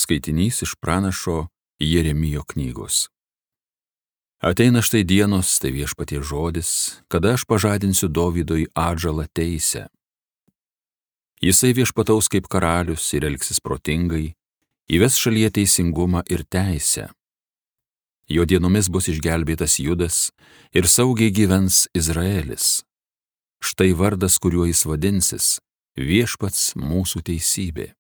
Skaitinys iš pranašo Jeremijo knygos. Ateina štai dienos, tai Viešpaties žodis, kada aš pažadinsiu Dovydui atžalą teisę. Jisai viešpataus kaip karalius ir elgsis protingai, įves šalyje teisingumą ir teisę. Jo dienomis bus išgelbėtas Judas ir saugiai gyvens Izraelis. Štai vardas, kuriuo jis vadinsis, Viešpats mūsų teisybė.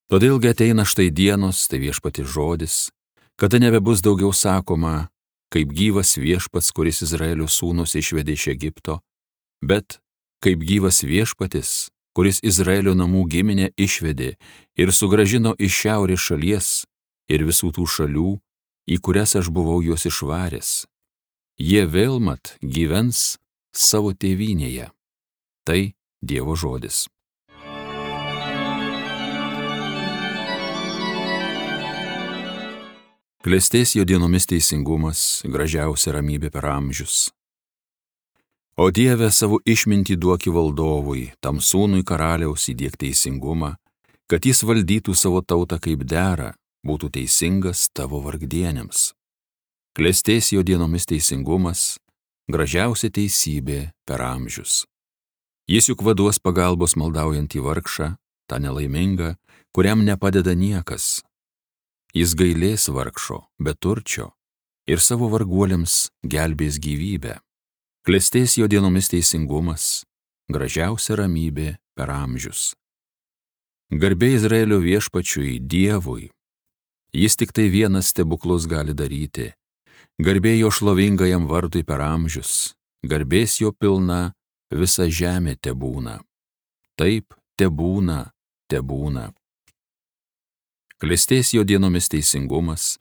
Todėlgi ateina štai dienos, tai Viešpaties žodis, kada nebebus daugiau sakoma, kaip gyvas Viešpats, kuris Izraelio sūnus išvedė iš Egipto, bet kaip gyvas Viešpatis, kuris Izraelio namų giminę išvedė ir sugrąžino iš šiaurės šalies ir visų tų šalių, į kurias aš buvau juos išvaręs. Jie vėl mat gyvens savo tėvynėje. Tai Dievo žodis. Klestės jo dienomis teisingumas, gražiausia ramybė per amžius. O Dieve, savo išmintį duoki valdovui, tam sūnui karaliaus įdiek teisingumą, kad jis valdytų savo tautą kaip dera, būtų teisingas tavo vargdieniams. Klestės jo dienomis teisingumas, gražiausia teisybė per amžius. Jis juk vaduos pagalbos maldaujantį vargšą, tą nelaimingą, kuriam nepadeda niekas. Jis gailės vargšo, beturčio ir savo varguoliams gelbės gyvybę. Klestės jo dienomis teisingumas, gražiausia ramybė per amžius. Garbė Izraelio Viešpačiui, Dievui. Jis tik tai vienas stebuklus gali daryti. Garbė jo šlovingajam vardui per amžius. Garbės jo pilna visa žemė tebūna. Taip, tebūna, tebūna. Klestės jo dienomis teisingumas,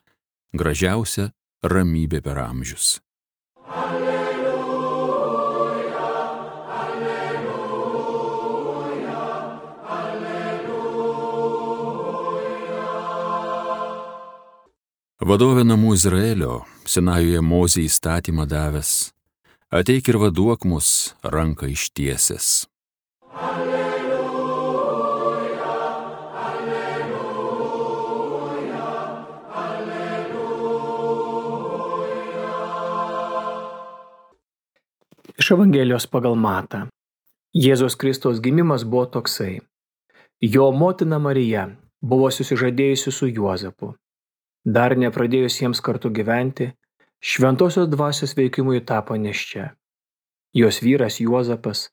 gražiausia ramybė per amžius. Alleluja, alleluja, alleluja. Vadovė namų Izraelio, Sinajuje Mozei įstatymą davęs, ateik ir vaduok mus ranką ištiesęs. Iš Evangelijos pagal Matą. Jėzaus Kristaus gimimas buvo toksai. Jo motina Marija buvo susižadėjusi su Juozapu. Dar nepradėjus jiems kartu gyventi, šventosios dvasios veikimui tapo nėščia. Jos vyras Juozapas,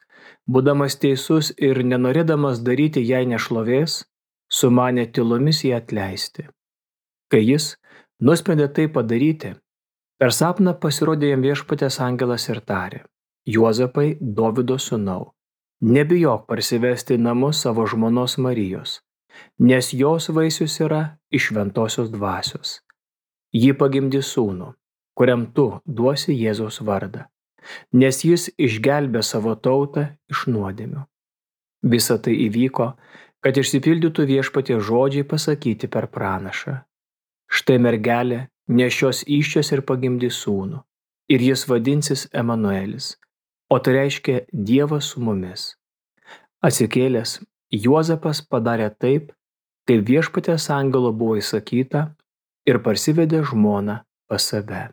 būdamas teisus ir nenorėdamas daryti jai nešlovės, sumanė tylomis ją atleisti. Kai jis nusprendė tai padaryti, per sapną pasirodė jam Viešpaties angelas ir tarė: Juozapai, Dovydo sūnau, nebijok parsivesti į namus savo žmonos Marijos, nes jos vaisius yra iš šventosios dvasios. Ji pagimdys sūnų, kuriam tu duosi Jėzaus vardą, nes jis išgelbė savo tautą iš nuodėmių. Visa tai įvyko, kad išsipildytų Viešpaties žodžiai pasakyti per pranašą. Štai mergelė nešios įsčias ir pagimdys sūnų, ir jis vadinsis Emanuelis, o tai reiškia Dievas su mumis. Atsikėlęs, Juozapas padarė taip, kaip Viešpaties angelo buvo įsakyta, ir parsivedė žmoną pas save.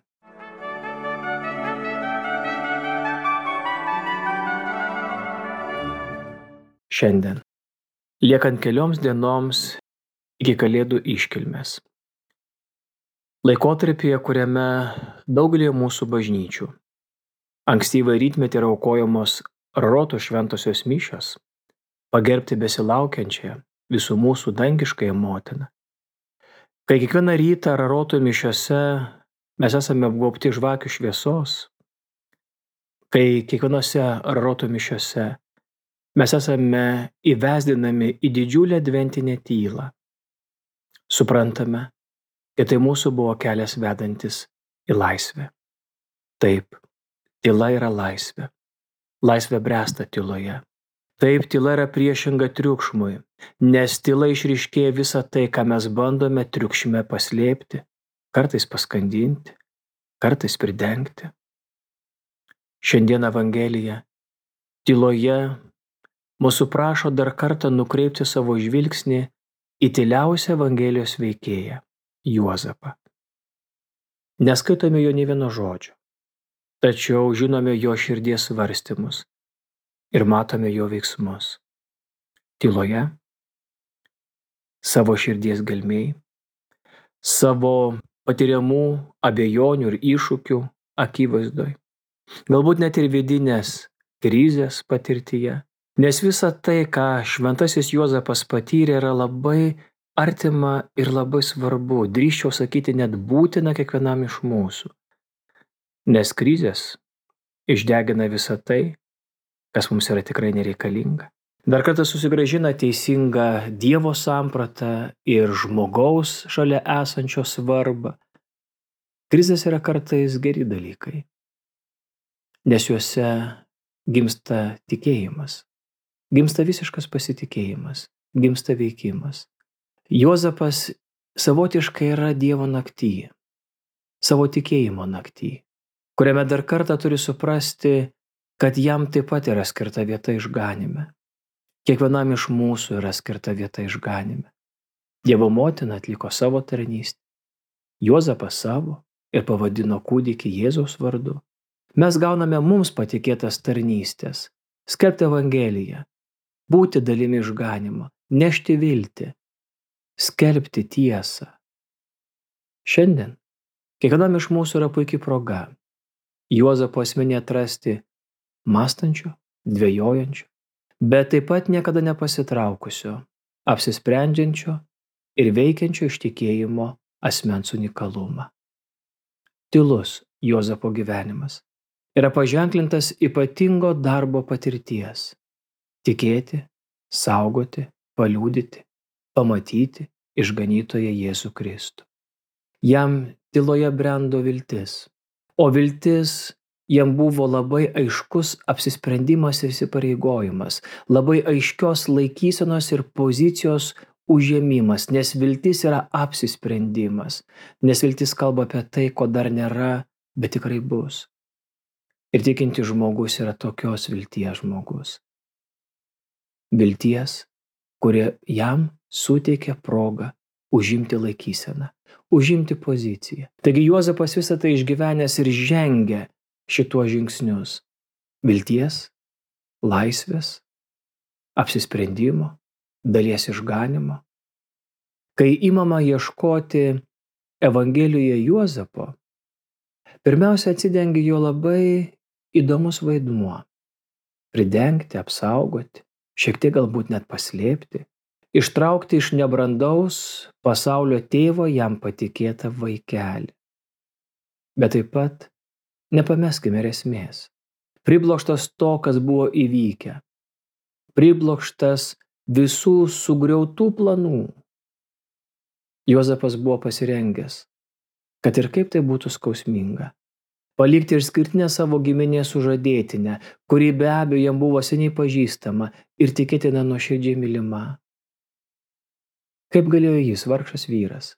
Šiandien, liekant kelioms dienoms iki Kalėdų iškilmės. Laikotarpyje, kuriame daugelį mūsų bažnyčių ankstyvą rytmetį yra aukojamos Rarotų šventosios mišios, pagerbti besilaukiančią visų mūsų dangiškąją motiną. Kai kiekvieną rytą Rarotų mišiose mes esame apgaubti žvakių šviesos, kai kiekvienose Rarotų mišiose mes esame įvesdinami į didžiulę adventinę tylą, suprantame, kad tai mūsų buvo kelias vedantis į laisvę. Taip, tyla yra laisvė. Laisvė bręsta tyloje. Taip, tyla yra priešinga triukšmui, nes tyla išryškėja visą tai, ką mes bandome triukšme paslėpti, kartais paskandinti, kartais pridengti. Šiandien Evangelija tyloje mūsų prašo dar kartą nukreipti savo žvilgsnį į tyliausią Evangelijos veikėją – Juozapą. Neskaitome jo nė vieno žodžio, tačiau žinome jo širdies svarstymus ir matome jo veiksmus. Tyloje, savo širdies gelmėj, savo patiriamų abejonių ir iššūkių akivaizdoj, galbūt net ir vidinės krizės patirtyje, nes visa tai, ką šventasis Juozapas patyrė, yra labai artima ir labai svarbu, drįsčiau sakyti, net būtina kiekvienam iš mūsų, nes krizės išdegina visą tai, kas mums yra tikrai nereikalinga. Dar kartą susigrąžina teisingą Dievo sampratą ir žmogaus šalia esančio svarbą. Krizės yra kartais geri dalykai, nes juose gimsta tikėjimas, gimsta visiškas pasitikėjimas, gimsta veikimas. Juozapas savotiškai yra Dievo nakty, savo tikėjimo nakty, kuriame dar kartą turi suprasti, kad jam taip pat yra skirta vieta išganyme. Kiekvienam iš mūsų yra skirta vieta išganyme. Dievo motina atliko savo tarnystę, Juozapas savo ir pavadino kūdikį Jėzaus vardu. Mes gauname mums patikėtas tarnystės, skelbti Evangeliją, būti dalimi išganymo, nešti viltį, skelbti tiesą. Šiandien kiekvienam iš mūsų yra puikiai proga Juozapo asmenį atrasti mąstančio, dvejojančio, bet taip pat niekada nepasitraukusio, apsisprendžiančio ir veikiančio iš tikėjimo asmens unikalumą. Tylus Juozapo gyvenimas yra paženklintas ypatingo darbo patirties – tikėti, saugoti, paliudyti, pamatyti išganytoją Jėzų Kristų. Jam tyloje brendo viltis, o viltis jam buvo labai aiškus apsisprendimas ir įsipareigojimas, labai aiškios laikysenos ir pozicijos užėmimas, nes viltis yra apsisprendimas, nes viltis kalba apie tai, ko dar nėra, bet tikrai bus. Ir tikintis žmogus yra tokios vilties žmogus. Vilties, kurie jam suteikia progą užimti laikyseną, užimti poziciją. Taigi Juozapas visą tai išgyvenęs ir žengia šituos žingsnius – vilties, laisvės, apsisprendimo, dalies išganymo. Kai imama ieškoti Evangelijoje Juozapo, pirmiausia atsidengia jo labai įdomus vaidmuo – pridengti, apsaugoti, šiek tiek galbūt net paslėpti, ištraukti iš nebrandaus pasaulio tėvo jam patikėtą vaikelį. Bet taip pat nepameskime esmės. Priblokštas to, kas buvo įvykę. Priblokštas visų sugriautų planų. Juozapas buvo pasirengęs, kad ir kaip tai būtų skausminga, palikti išskirtinę savo giminės sužadėtinę, kuri be abejo jam buvo seniai pažįstama ir tikėtina nuoširdžiai mylima. Kaip galėjo jis, vargšas vyras,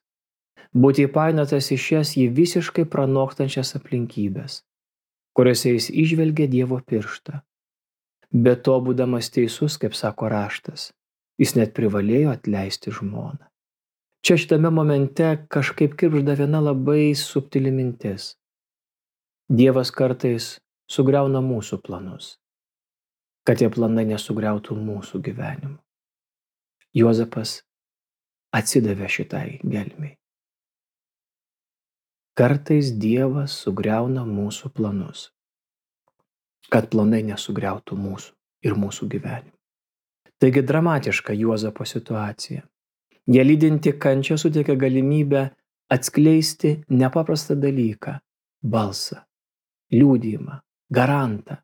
būti įpainiotas į šias jį visiškai pranokstančias aplinkybės, kuriuose jis įžvelgė Dievo pirštą. Be to, būdamas teisus, kaip sako raštas, jis net privalėjo atleisti žmoną. Čia šitame momente kažkaip kirgžda viena labai subtili mintis. Dievas kartais sugriauna mūsų planus, kad tie planai nesugriautų mūsų gyvenimų. Juozapas atsidavė šitai gelmei. Kartais Dievas sugriauna mūsų planus, kad planai nesugriautų mūsų ir mūsų gyvenimų. Taigi dramatiška Juozapo situacija. Ją lydinti kančia suteikia galimybę atskleisti nepaprastą dalyką – balsą, liudijimą, garantą,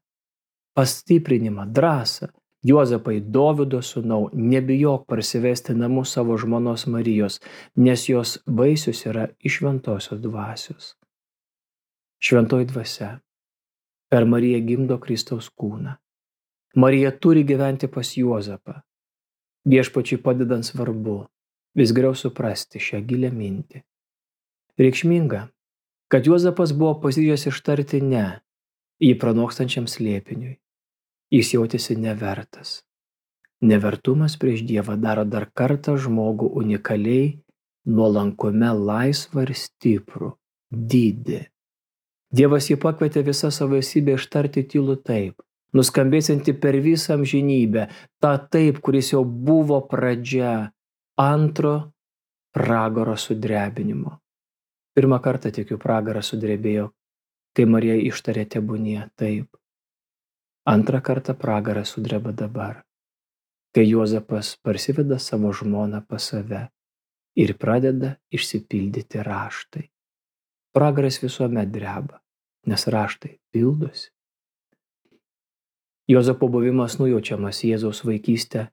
pastiprinimą, drąsą. Juozapai, Dovydo sūnau, nebijok parsivesti namų savo žmonos Marijos, nes jos vaisius yra iš šventosios dvasios. Šventoji dvasia per Mariją gimdo Kristaus kūną. Marija turi gyventi pas Juozapą. Viešpačiui padedant svarbu vis geriau suprasti šią gilią mintį. Reikšminga, kad Juozapas buvo pasiryžęs ištarti ne jį pranokstančiam slėpiniui. Jis jautėsi nevertas. Nevertumas prieš Dievą daro dar kartą žmogų unikaliai, nuolankume laisvą ir stiprų, didį. Dievas jį pakvietė visą savo esybę ištarti tylų taip, nuskambėsianti per visą amžinybę, tą taip, kuris jau buvo pradžia antro pragaro sudrebinimo. Pirmą kartą tikiu pragaras sudrebėjo, kai Marija ištarė tebūnie taip. Antrą kartą pragaras sudreba dabar, kai Juozapas parsiveda savo žmoną pas save ir pradeda išsipildyti raštai. Pragaras visuomet dreba, nes raštai pildosi. Juozapo buvimas nujaučiamas Jėzaus vaikystę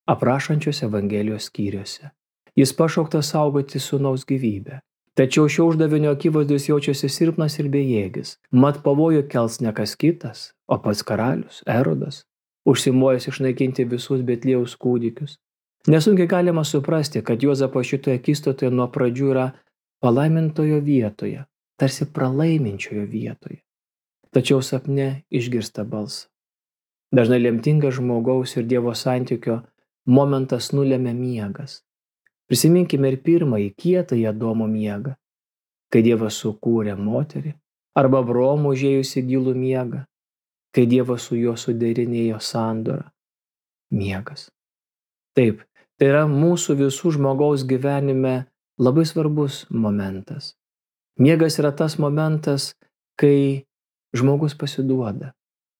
aprašančios Evangelijos skyriuose. Jis pašauktas saugoti sūnaus gyvybę. Tačiau šio uždavinio akivaizdus jaučiasi silpnas ir bejėgis. Mat pavojų kels ne kas kitas, o pats karalius Erodas, užsimojęs išnaikinti visus Betliejaus kūdikius. Nesunkiai galima suprasti, kad Juozapas šitoje akistatoje nuo pradžių yra palaimintojo vietoje, tarsi pralaiminčiojo vietoje. Tačiau sapne išgirsta balsą. Dažnai lemtingas žmogaus ir Dievo santykio momentas nulemia miegas. Prisiminkime ir pirmąjį kietąjį Adomo miegą, kai Dievas sukūrė moterį, arba Abraomo užėjusi gilų miegą, kai Dievas su juo suderinėjo sandorą. Miegas. Taip, tai yra mūsų visų žmogaus gyvenime labai svarbus momentas. Miegas yra tas momentas, kai žmogus pasiduoda,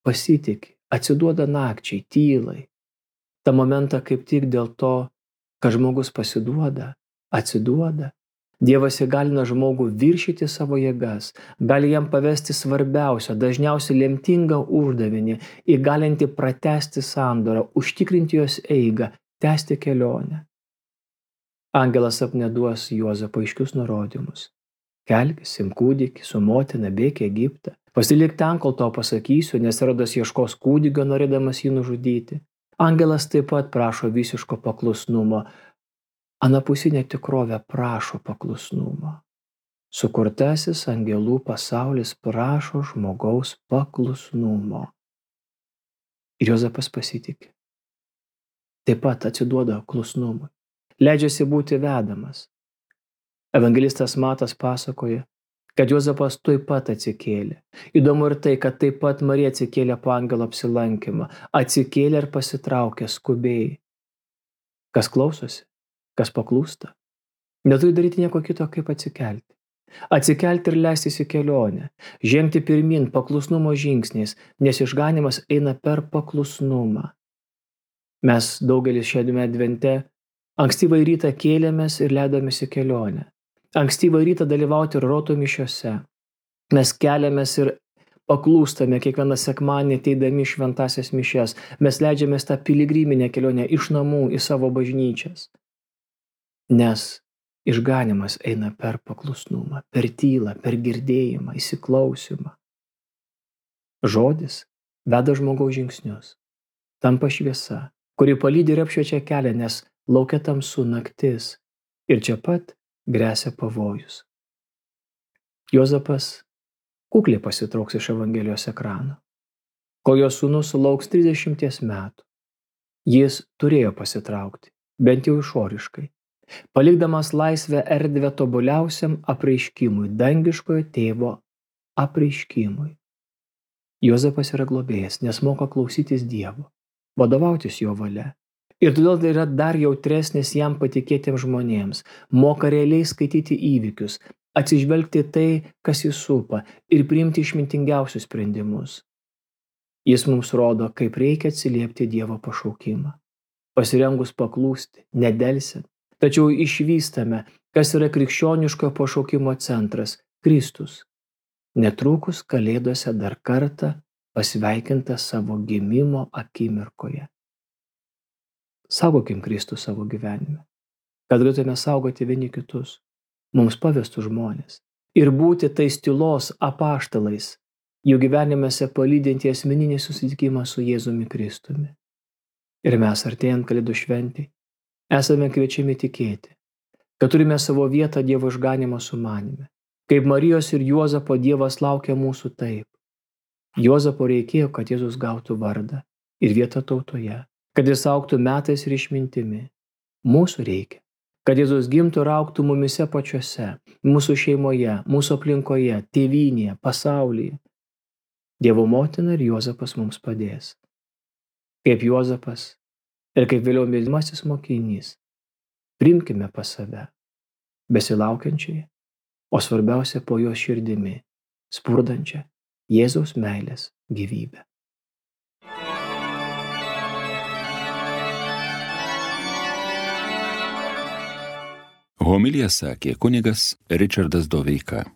pasitiki, atsiduoda nakčiai, tylai. Ta momentą kaip tik dėl to, kad žmogus pasiduoda, atsiduoda. Dievas įgalina žmogų viršyti savo jėgas, gali jam pavesti svarbiausią, dažniausiai lemtingą uždavinį, įgalinti pratęsti sandorą, užtikrinti jos eigą, tęsti kelionę. Angelas sapne duos Juozapui aiškius nurodymus. Kelkis, imk kūdikį, su motina bėk į Egiptą. Pasilik ten, kol tau pasakysiu, nes Erodas ieškos kūdikio, norėdamas jį nužudyti. Angelas taip pat prašo visiško paklusnumo. Anapusinė tikrovė prašo paklusnumo. Sukurtasis angelų pasaulis prašo žmogaus paklusnumo. Ir Juozapas pasitiki. Taip pat atsiduoda klusnumui. Leidžiasi būti vedamas. Evangelistas Matas pasakoja, kad Juozapas tuoj pat atsikėlė. Įdomu ir tai, kad taip pat Marija atsikėlė po angelo apsilankymą, atsikėlė ir pasitraukė skubiai. Kas klausosi, kas paklūsta, neturi daryti nieko kito, kaip atsikelti. Atsikelti ir leistis į kelionę, žengti pirmin paklusnumo žingsniais, nes išganymas eina per paklusnumą. Mes daugelis šiame advente ankstyvą rytą kėlėmės ir leidomės į kelionę. Ankstyvą rytą dalyvauti roto mišiose. Mes keliamės ir paklūstame kiekvieną sekmadienį ateidami į šventąsias mišias. Mes leidžiamės tą piligriminę kelionę iš namų į savo bažnyčias. Nes išganymas eina per paklusnumą, per tylą, per girdėjimą, įsiklausimą. Žodis veda žmogaus žingsnius. Tampa šviesa, kuri palydi ir apšviečia kelią, nes laukia tamsu naktis. Ir čia pat gresia pavojus. Juozapas kukliai pasitrauks iš Evangelijos ekrano. Kol jo sūnus sulauks 30 metų, jis turėjo pasitraukti, bent jau išoriškai, palikdamas laisvę erdvę tobuliausiam apreiškimui, dangiškojo tėvo apreiškimui. Juozapas yra globėjas, nes moka klausytis Dievo, vadovautis jo valia. Ir todėl tai yra dar jautresnis jam patikėtiems žmonėms, moka realiai skaityti įvykius, atsižvelgti tai, kas jį supa, ir priimti išmintingiausius sprendimus. Jis mums rodo, kaip reikia atsiliepti Dievo pašaukimą. Pasirengus paklūsti, nedelsiant, tačiau išvystame, kas yra krikščioniškojo pašaukimo centras – Kristus. Netrukus Kalėdose dar kartą pasveikinta savo gimimo akimirkoje. Saugokim Kristų savo gyvenime, kad galėtume saugoti vieni kitus, mums pavestų žmonės, ir būti tais tylos apaštalais, jų gyvenimėse palydinti asmeninį susitikimą su Jėzumi Kristumi. Ir mes, artėjant Kalėdų šventei, esame kviečiami tikėti, kad turime savo vietą Dievo išganymo sumanime. Kaip Marijos ir Juozapo Dievas laukia mūsų taip. Juozapo reikėjo, kad Jėzus gautų vardą ir vietą tautoje, kad jis augtų metais ir išmintimi. Mūsų reikia, kad Jėzus gimtų ir augtų mumise pačiuose, mūsų šeimoje, mūsų aplinkoje, tėvynėje, pasaulyje. Dievo motina ir Juozapas mums padės. Kaip Juozapas ir kaip vėliau mylimasis mokinys, priimkime pas save, besilaukiančiai, o svarbiausia po jos širdimi, spurdančią Jėzaus meilės gyvybę. Homiliją sakė kunigas Ričardas Doveika.